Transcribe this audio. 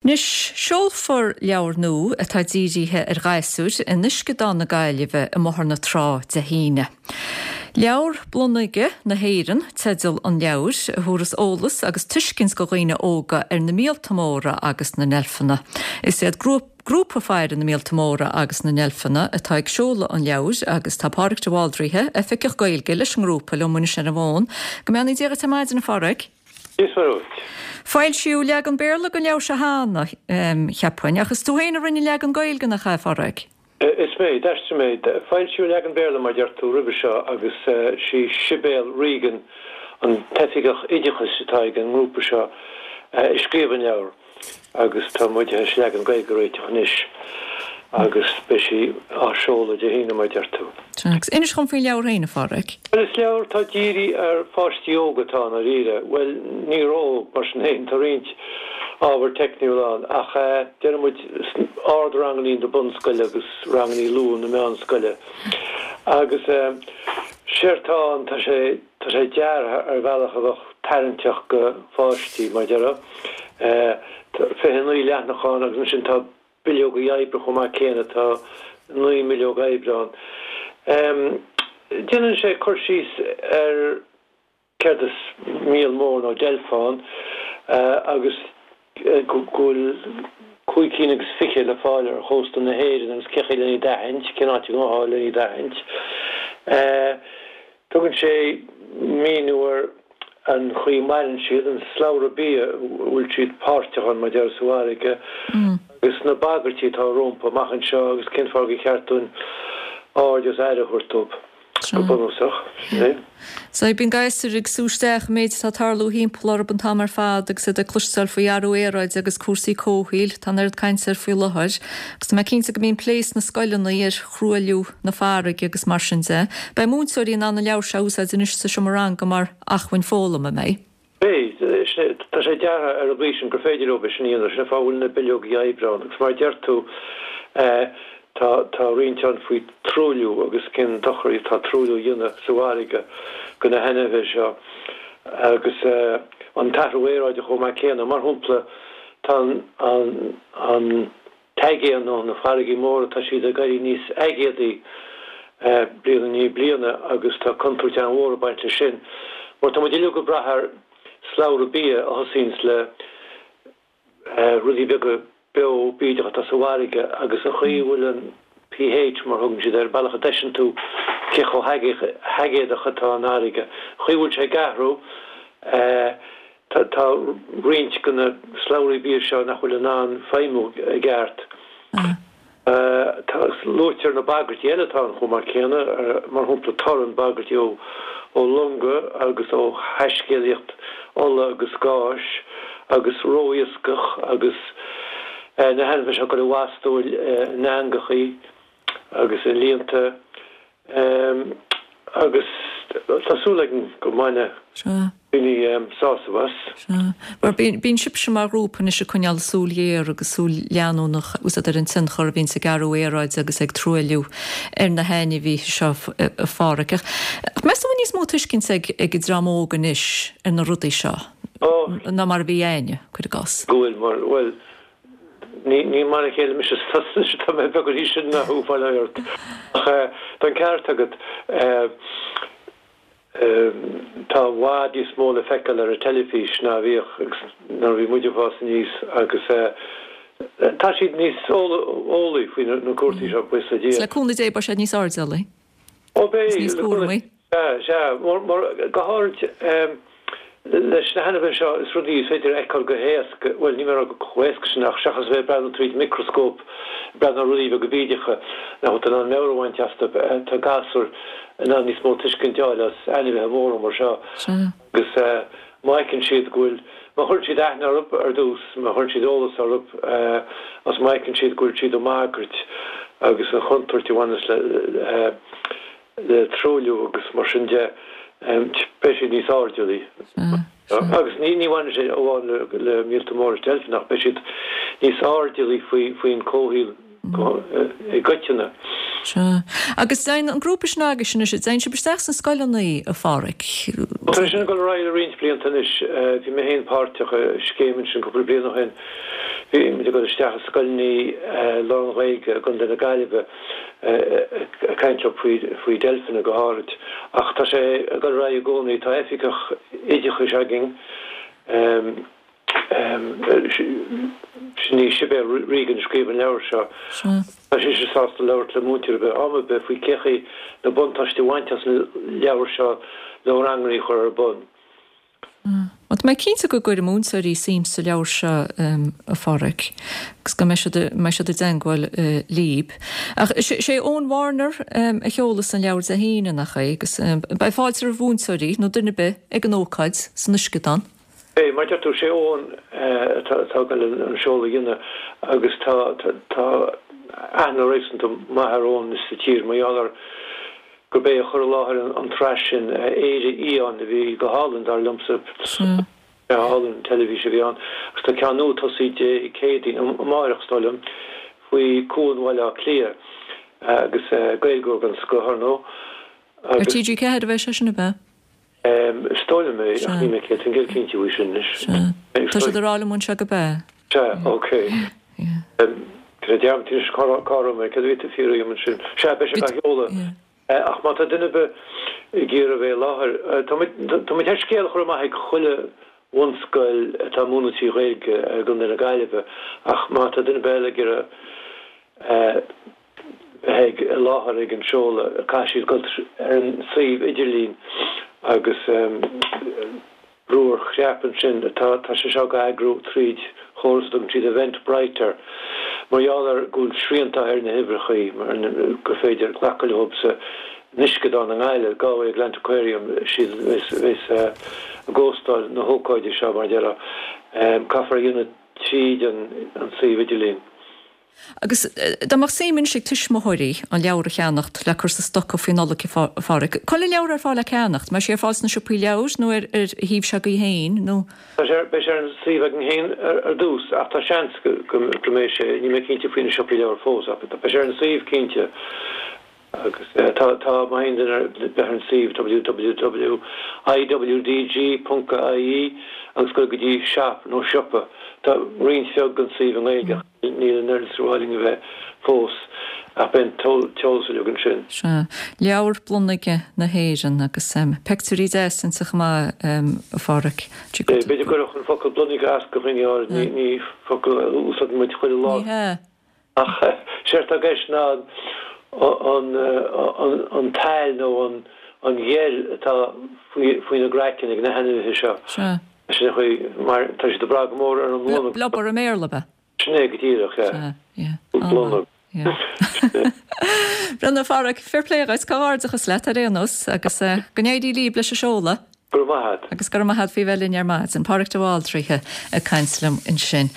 Anois, seolfar leabhar nua atá dírithe ar ghasúir in Uisceadán na Gaillimhe i mBóthar na Trá Dé hAoine. Leabhar Blonag na hÉireann teideal an leabhair, a thabharfas eolas agus tuiscint go dhaoine óga ar na míolta móra agus na ndeilfeanna. Is iad Grúpa Faire na Míolta Móra agus na nDeilfeanna atá ag seoladh an leabhair agus tá Pádraig de Bhaldraithe, Oifigeach Gaeilge leis an ngrúpa, liom anois ar an bhfón. Go mbeannaí Dia dhuit ar maidin, a Phádraig. Dia is Muire dhuit. Foilsíodh leagan Béarla den leabhar seo cheana, cheapfainn, ach is tú féin a rinne an leagan Gaeilge, nach ea, a Phádraig? Is mé, d'aistrigh mé. Foilsíodh leagan Béarla, mar a deir tú, roimhe seo agus sí Sibéal Regan, an t-oifigeach oideachais atá ag an ngrúpa seo, a scríobh an leabhar. Agus tá muid théis leagan Gaeilge a réiteach anois agus beidh sí á seoladh Dé hAoine, mar a deir tú. Sea, agus inis dhom faoin leabhar féin, a Phádraig. Bhuel, is leabhar atá dírithe ar pháistí óga atá ann, dáiríre. Bhuel, ní ró-óg, mar sin féin, tá roinnt ábhar teicniúil ann, ach déarfaidh muid ard-rangannaí na bunscoile agus rangannaí luath na meánscoile. Agus séard atá ann, tá sé. Tá sé deartha ar bhealach a bheadh tarraingteach go pháistí, mar a déarfá. Tá 29 leathanach ann agus ansin tá bileogaí oibre chomh maith céanna, tá 9 mbileog oibre ann. Déanann sé cur síos ar céard is míol mór nó deilf ann agus go bhfuil 25 cinn le fáil ar chósta na hÉireann agus cén chaoi len iad a aithint, cén áit a ngabhfá len iad a aithint. Tugann sé míniú ar an chaoi a maireann siad, an slabhra bia a bhfuil siad páirteach ann, mar a déarfá, sa bhfarraige, agus na bagairtí atá rompu amach anseo agus cén fáth gur cheart dúinn aird agus aire a thabhairt dóibh, go bunúsach. Sin é. Sea, bíonn gasúir ag sú isteach an méid atá ag tarlú thimpeall orthu an t-am ar fad agus iad ag cloisteáil faoi athrú aeráide agus cúrsaí comhshaoil. Tá an oiread cainte air faoi láthair. Agus tá mé cinnte go mbíonn plé sna scoileanna ar thruailliú na farraige agus mar sin de. Beidh múinteoirí in ann an leabhar seo a úsáid anois sa seomra ranga mar acmhainn foghlama, an mbeidh? Beidh. Tá sé deartha ar an gcaoi sin gur féidir leo é sin a dhéanamh. Sin an fáth a bhfuil na bileogaí oibre ann. Agus mar a deir tú, tá tá roinnt ann faoi truailliú agus cén dochar atá truailliú a dhéanamh sa bhfarraige go na hainmhithe seo. Agus an t-athrú aeráide chomh maith céanna. Mar shampla, tá an an t-aigéan nó na farraigí móra, tá siad ag éirí níos aigéadaí bliain i ndiaidh bliana agus tá contúirt an-mhór ag baint leis sin mar tá muid uilig ag brath ar slabhra bia a thosaíonns le rudaí beaga beo bídeach atá sa bhfarraige agus an chaoi a bhfuil an pH, mar a thugann siad air, an bealach a dtomhaiseann tú cé chomh haigéadach atá an fharraige, an chaoi a bhfuil sé ag athrú. Tá roinnt de na slabhraí bia seo nach bhfuil in ann feidhmiú i gceart. Tá, luaitear na bagairtí eile atá ann chomh maith céanna, mar shampla torann, bagairtí ó longa agus ó thaiscéalaíocht ola agus gáis agus ró-iascach agus na hainmhithe seo ag dul i bhfastó in eangachaí agus i líonta. Agus tá súil againn go mbainfidh daoine sásamh as. Sea. Mar bíonn sibhse mar ghrúpa anois ag coinneáil súil ghéar agus súil leanúnach úsáid ar an tionchar a bhíonns ag athrú aeráide agus ag truailliú ar na hainmhithe seo, a Pháraic. Ach meas tú an bhfuil níos mó tuiscint ag an dream óg anois ar na rudaí seo ná mar a bhí againne, cuir i gcás? Go bhfuil, mar, bhuel, Ní mar a chéile mise is tusa anois, tá mé beagán níos sine ná thú, fáil ort. Ach tá an ceart agat, tá i bhfad níos mó le feiceáil ar an teilifís ná a bhíodh nuair a bhí muid ag fás aníos agus tá siad níos eolaí faoi na cúrsaí seo, buíochas le Dia. Le cúnamh Dé beidh siad níos airdeallaí. Ó beidh, Is níos cúramaí. Sea, sea. Mar, go háirid leis na hainmhithe seo, is rudaí is féidir a fheiceáil go héasca, bhuel, níl mé ag rá chomh héasca sin ach seachas a bheith ag breathnú tríd micreascóp, ag breathnú ar rudaí beaga bídeacha nach bhfuil tú in ann meabhair a bhaint astu, tá gasúir in ann níos mó tuiscint a fháil as ainmhithe móra mar seo. Sea. Agus má fheiceann siad go bhfuil, má chuireann siad aithne orthu ar dtús, má chuireann siad eolas orthu agus má fheiceann siad go bhfuil siad i mbagairt agus an chontúirt a bhaineas le le truailliú agus mar sin de, beidh siad níos airdeallaí. Agus ní ní bhaineann sé amháin le le míolta móra is deilfeanna ach beidh siad níos airdeallaí faoi faoin comhshaol i gcoitinne. Sea. Agus dtéann an grúpa sin agaibhse anois, dtéann sibh isteach sna scoileanna, a Pháraic? Tá sé sin ag dul ar aghaidh le roinnt blianta anois. Bhí mé féin páirteach i scéim ansin cúpla bliain ó shin. Bhí muid ag dul isteach i scoileanna lán-Ghaeilge i gContae na Gaillimhe ag caint leo faoi deilfeanna go háirid. Ach tá sé ag dul ar aghaidh i gcónaí. Tá oifigeach oideachais againn, sin í Sibéal Regan a scríobh an leabhar seo. Tá sise sásta labhairt le múinteoir ar bith, am ar bith, faoi cé chaoi na buntáistí a bhaint as an leabhar seo le ranganna a chur ar bun. Bhuel, tá mé cinnte go gcuirfidh múinteoirí suim sa leabhar seo, a Pháraic, agus go mbeidh siad, mbeidh siad i dteangmháil líb. Ach sé Eoin Warner a sheolas an leabhar Dé hAoine, nach é? Agus beidh fáilte roimh mhúinteoirí, nó duine ar bith, ag an ócáid san Uisceadán. Beidh, mar a deir tú, sé Eoin atá ag dul an seoladh a dhéanamh agus tá, tá aithne réasúnta maith ar Eoin sa tír mar gheall ar gurb é a chuir i láthair an tsraith sin, Éire Fhiáin, a bhí go hálainn, dar liomsa. Sraith álainn teilifíse a bhí ann. Agus tá ceann nua tosaithe Dé Céadaoin, amáireach, is dóigh liom, faoi Cuan Bhaile Átha Cliath agus Gaeilgeoir den scoth, ar ndóigh. Ar TG4 a bheidh sé sin, ab ea? Is dóigh liom é, ach níl mé 100% cinnte faoi sin anois. Sea. Tá siad ag rá liom anseo gurb ea. Sea, ok. Tá mé dearmadta anois cá raibh mé, céard a bhí tú ag fiafraí dhíom ansin? Sea, beidh sé á sheoladh. Ach má tá duine ar bith ag iarraidh a bheith i láthair, tá muid, tá muid thar scéal a chur amach ag chuile bhunscoil atá ag múineadh trí Ghaeilge i gContae na Gaillimhe, ach má tá duine ar bith eile ag iarraidh bheith i láthair ag an seoladh, caithfidh siad dul ar an suíomh idirlín agus brú ar chnaipe ansin. Tá tá sé seo á eagrú tríd chóras a dtugann siad Eventbrite air. Mar gheall ar go bhfuil srianta ar na huimhreachaí mar gur féidir glacadh leo san Uisceadán i nGaillimh, Galway Atlantaquaria, siad a bheas ag óstáil na hócáide seo mar a déarfá. Caithfear a dhéanamh tríd an suíomh idirlín. Agus dá mbeadh suim anois ag tuismitheoirí an leabhar a cheannacht le cur sa stoca faoi Nollaig, a Pháraic, cá bhfuil an leabhar ar fáil le ceannacht? Mbeidh sé ar fáil sna siopaí leabhar nó ar ar shuíomh s'agaibh féin nó? Tá sé, beidh sé ar an suíomh againn féin ar dtús ach tá seans go mbeidh sé, níl mé cinnte faoi na siopaí leabhar fós ach beidh sé ar an suíomh cinnte. Agus tá, tá, má théann duine ar bith ar an suíomh www.iwdg.ie agus dul go dtí shop nó siopa, tá roinnt bheag den suíomh i nGaeilge ach níl an oiread is ar mhaith linn a bheith fós ach beidh an t-eolas uilig ansin. Sea, leabhar blonag na hÉireann agus peictiúirí deas inti chomh maith, a Pháraic. B'fhéidir go gcuirfeadh an focal blonag as do dhaoine áirid, ní focal a úsáideann muid chuile lá. Ní hea. Ach séard atá i gceist ná an tsail nó an gheil atá faoina gcraiceann ag na hainmhithe seo. Sea. Sin an chaoi mar tá siad ag brath go mór ar an mblonag. Blubber i mBéarla, ab ea? Sin é go díreach, yeah. Sea, yeah. Blonag. Yeah. Bhuel, a Pháraic, fair play dhuit, comhghairdeachas leat ar aon nós agus go n-éirí líb leis an seoladh. Go raibh maith a't. Agus go raibh maith a't faoi bheith linn ar maidin. Páraic de Bhaldraithe ag caint liom ansin.